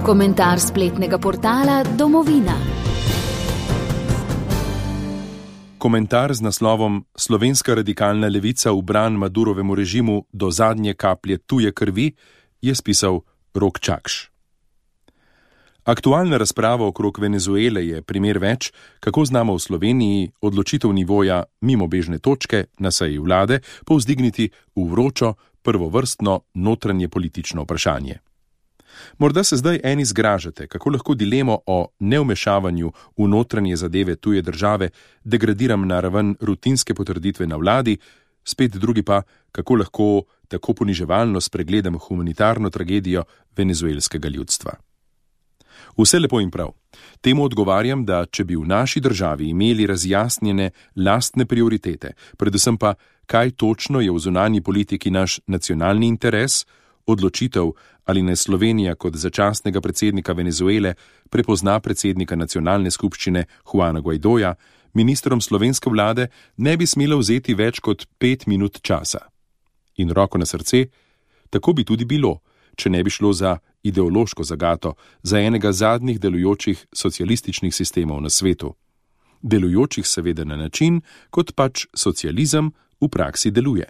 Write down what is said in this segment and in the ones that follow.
Komentar spletnega portala Domovina. Komentar z naslovom Slovenska radikalna levica v bran Madurovemu režimu do zadnje kaplje tuje krvi je spisal Rok Čakš. Aktualna razprava okrog Venezuele je primer več, kako znamo v Sloveniji odločitev nivoja mimo bežne točke na seji vlade povzdigniti v vročo, prvovrstno notranje politično vprašanje. Morda se zdaj eni zgražate, kako lahko dilemo o neumešavanju v notranje zadeve tuje države degradiram na raven rutinske potrditve na vladi, spet drugi pa, kako lahko tako poniževalno spregledam humanitarno tragedijo venezuelskega ljudstva. Vse lepo in prav. Temu odgovarjam, da če bi v naši državi imeli razjasnjene lastne prioritete, predvsem pa, kaj točno je v zunanji politiki naš nacionalni interes, odločitev, ali ne Slovenija kot začasnega predsednika Venezuele prepozna predsednika nacionalne skupščine Juana Guaidoja, ministrom slovenske vlade ne bi smela vzeti več kot 5 minut časa. In roko na srce, tako bi tudi bilo, če ne bi šlo za ideološko zagato, za enega zadnjih delujočih socialističnih sistemov na svetu. Delujočih seveda na način, kot pač socializem v praksi deluje.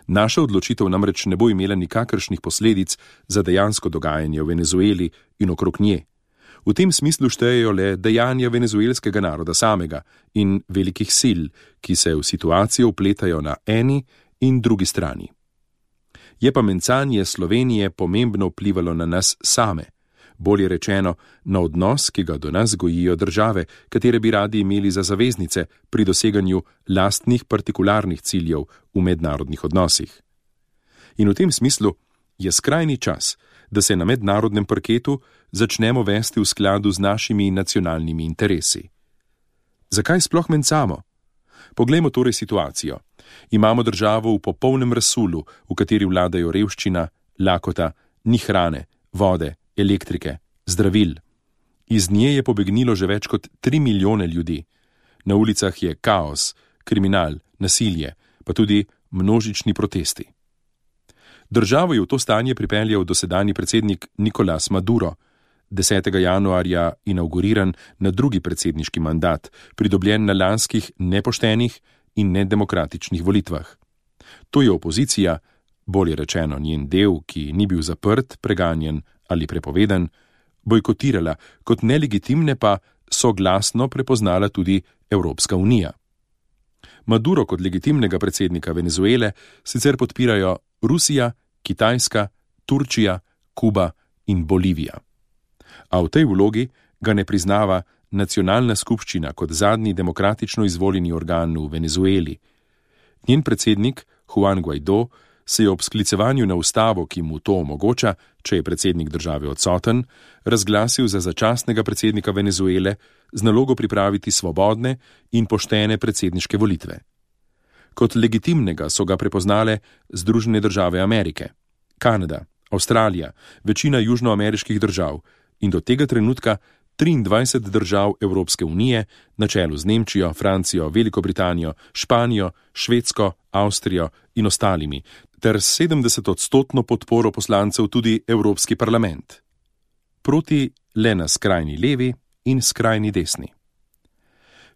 Naša odločitev namreč ne bo imela nikakršnih posledic za dejansko dogajanje v Venezueli in okrog nje. V tem smislu štejejo le dejanja venezuelskega naroda samega in velikih sil, ki se v situacijo vpletajo na eni in drugi strani. Je pa mencanje Slovenije pomembno vplivalo na nas same, bolje rečeno na odnos, ki ga do nas gojijo države, katere bi radi imeli za zaveznice pri doseganju lastnih partikularnih ciljev v mednarodnih odnosih. In v tem smislu je skrajni čas, da se na mednarodnem parketu začnemo vesti v skladu z našimi nacionalnimi interesi. Zakaj sploh mencamo? Poglejmo torej situacijo. Imamo državo v popolnem razsulu, v kateri vladajo revščina, lakota, ni hrane, vode, elektrike, zdravil. Iz nje je pobegnilo že več kot 3 milijone ljudi. Na ulicah je kaos, kriminal, nasilje, pa tudi množični protesti. Državo je v to stanje pripeljal dosedanji predsednik Nicolás Maduro, 10. januarja inauguriran na drugi predsedniški mandat, pridobljen na lanskih nepoštenih in nedemokratičnih volitvah. To je opozicija, bolje rečeno njen del, ki ni bil zaprt, preganjen ali prepovedan, bojkotirala, kot nelegitimne pa soglasno prepoznala tudi Evropska unija. Maduro kot legitimnega predsednika Venezuele sicer podpirajo Rusija, Kitajska, Turčija, Kuba in Bolivija. A v tej vlogi ga ne priznava nacionalna skupščina kot zadnji demokratično izvoljeni organ v Venezueli. Njen predsednik, Juan Guaido, se je ob sklicevanju na ustavo, ki mu to omogoča, če je predsednik države odsoten, razglasil za začasnega predsednika Venezuele z nalogo pripraviti svobodne in poštene predsedniške volitve. Kot legitimnega so ga prepoznale Združene države Amerike, Kanada, Avstralija, večina južnoameriških držav in do tega trenutka 23 držav Evropske unije na čelu z Nemčijo, Francijo, Veliko Britanijo, Španijo, Švedsko, Avstrijo in ostalimi, ter 70% podporo poslancev tudi Evropski parlament. Proti le na skrajni levi in skrajni desni.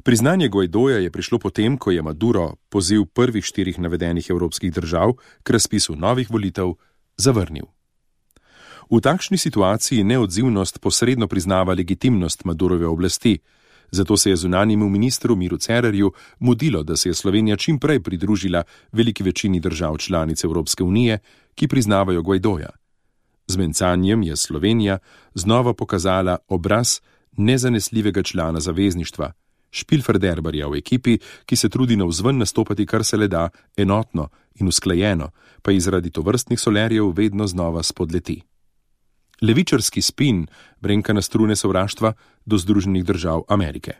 Priznanje Guaidoja je prišlo potem, ko je Maduro poziv prvih 4 navedenih evropskih držav k razpisu novih volitev zavrnil. V takšni situaciji neodzivnost posredno priznava legitimnost Madurove oblasti, zato se je zunanjemu ministru Miru Cerarju mudilo, da se je Slovenija čim prej pridružila veliki večini držav članic Evropske unije, ki priznavajo Guaidoja. Z mencanjem je Slovenija znova pokazala obraz nezanesljivega člana zavezništva, špilferderbarja v ekipi, ki se trudi navzven nastopati kar se le da enotno in usklajeno, pa zaradi tovrstnih solerjev vedno znova spodleti. Levičarski spin brenka na strune sovraštva do Združenih držav Amerike.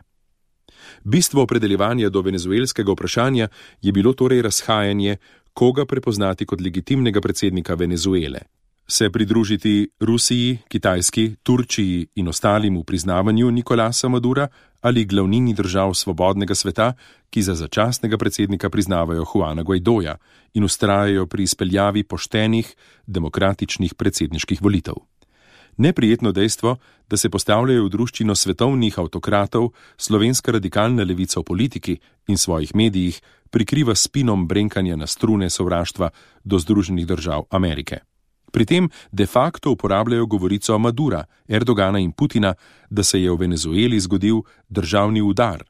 Bistvo opredeljevanja do venezuelskega vprašanja je bilo torej razhajanje, koga prepoznati kot legitimnega predsednika Venezuele. Se pridružiti Rusiji, Kitajski, Turčiji in ostalim v priznavanju Nicolasa Madura ali glavnini držav svobodnega sveta, ki za začasnega predsednika priznavajo Juana Guaidoja in vztrajajo pri izpeljavi poštenih, demokratičnih predsedniških volitev. Neprijetno dejstvo, da se postavljajo v druščino svetovnih avtokratov, slovenska radikalna levica v politiki in svojih medijih prikriva spinom brenkanja na strune sovraštva do Združenih držav Amerike. Pri tem de facto uporabljajo govorico Madura, Erdogana in Putina, da se je v Venezueli zgodil državni udar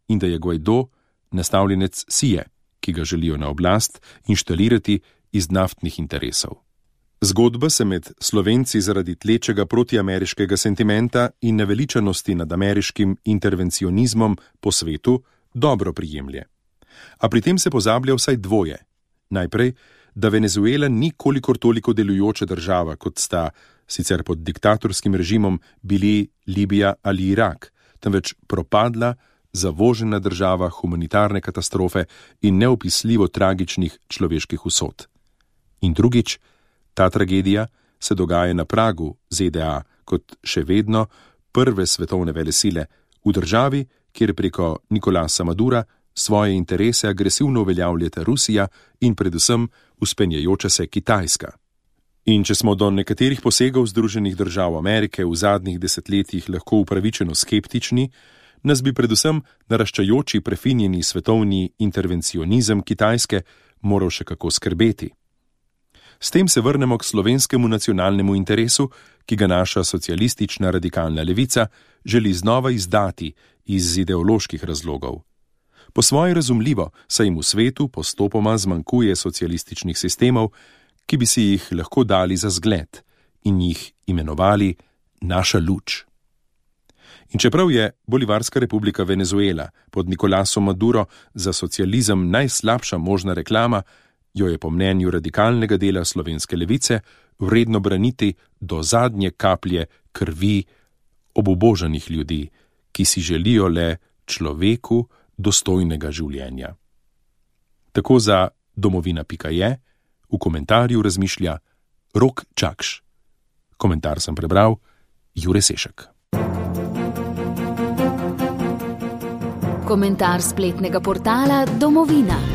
in da je Guaidó nastavljenec Sije, ki ga želijo na oblast inštalirati iz naftnih interesov. Zgodba se med Slovenci zaradi tlečega protiameriškega sentimenta in naveličanosti nad ameriškim intervencionizmom po svetu dobro prijemlje. A pri tem se pozablja vsaj dvoje. Najprej, da Venezuela ni kolikor toliko delujoča država, kot sta sicer pod diktatorskim režimom bili Libija ali Irak, temveč propadla, zavožena država humanitarne katastrofe in neopisljivo tragičnih človeških usod. In drugič, ta tragedija se dogaja na pragu ZDA kot še vedno prve svetovne velesile v državi, kjer preko Nicolasa Madura svoje interese agresivno uveljavljata Rusija in predvsem vzpenjajoča se Kitajska. In če smo do nekaterih posegov Združenih držav Amerike v zadnjih desetletjih lahko upravičeno skeptični, nas bi predvsem naraščajoči prefinjeni svetovni intervencionizem Kitajske moral še kako skrbeti. S tem se vrnemo k slovenskemu nacionalnemu interesu, ki ga naša socialistična radikalna levica želi znova izdati iz ideoloških razlogov. Po svoje razumljivo, saj jim v svetu postopoma zmanjkuje socialističnih sistemov, ki bi si jih lahko dali za zgled in jih imenovali naša luč. In čeprav je Bolivarska republika Venezuela pod Nicolasom Maduro za socializem najslabša možna reklama, jo je po mnenju radikalnega dela slovenske levice vredno braniti do zadnje kaplje krvi obubožanih ljudi, ki si želijo le človeku dostojnega življenja. Tako za domovina.je v komentarju razmišlja Rok Čakš. Komentar sem prebral Jure Sešek. Komentar spletnega portala Domovina.